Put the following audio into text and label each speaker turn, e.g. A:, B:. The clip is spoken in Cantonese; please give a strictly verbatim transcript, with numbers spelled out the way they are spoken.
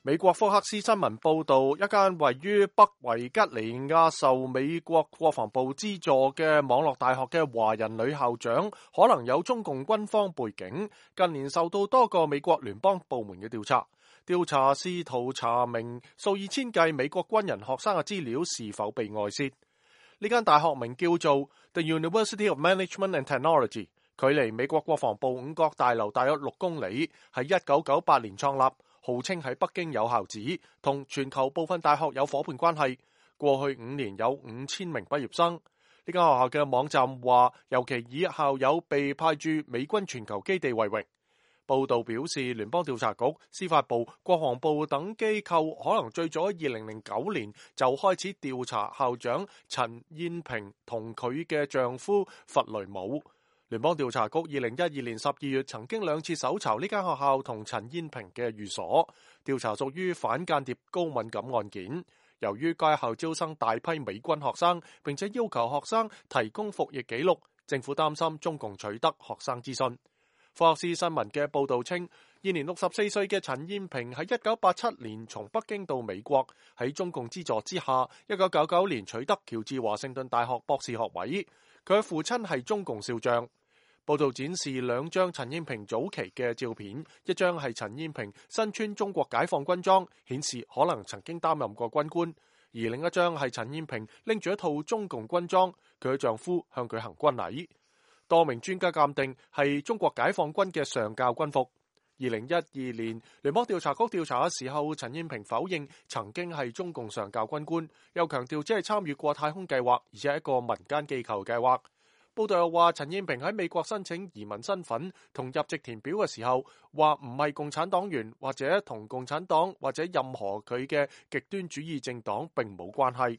A: 美國福克斯新聞報道，一間位於北維吉尼亞受美國國防部資助嘅網絡大學嘅華人女校長可能有中共軍方背景，近年受到多個美國聯邦部門嘅調查。調查試圖查明數以千計美國軍人學生嘅資料是否被外泄。呢間大學名叫做 The University of Management and Technology， 距離美國國防部五角大樓大約六公里，喺一九九八年創立。號稱喺北京有校址，同全球部分大學有夥伴關係。過去五年有五千名畢業生。呢間學校嘅網站話，尤其以校友被派駐美軍全球基地為榮。報道表示，聯邦調查局、司法部、國防部等機構可能最早喺二零零九年就開始調查校長陳燕平同佢嘅丈夫弗雷姆。聯邦調查局二零一二年十二月曾經兩次搜查呢間學校同陳燕平嘅寓所，調查屬於反間諜高敏感案件。由於該校招生大批美軍學生，並且要求學生提供服役記錄，政府擔心中共取得學生資訊。福克斯新聞嘅報導稱，現年六十四歲嘅陳燕平喺一九八七年從北京到美國，喺中共資助之下，一九九九年取得喬治華盛頓大學博士學位。佢嘅父親係中共少將。報道展示兩張陳燕平早期嘅照片，一張係陳燕平身穿中國解放軍裝，顯示可能曾經擔任過軍官；而另一張係陳燕平拎住一套中共軍裝，佢嘅丈夫向佢行軍禮。多名專家鑑定係中國解放軍嘅上校軍服。二零一二年，聯邦調查局調查嘅時候，陳燕平否認曾經係中共上校軍官，又強調只係參與過太空計劃，而且係一個民間機構計劃。報道又話，陳燕平喺美國申請移民身份同入籍填表嘅時候，話唔係共產黨員，或者同共產黨或者任何佢嘅極端主義政黨並冇關係。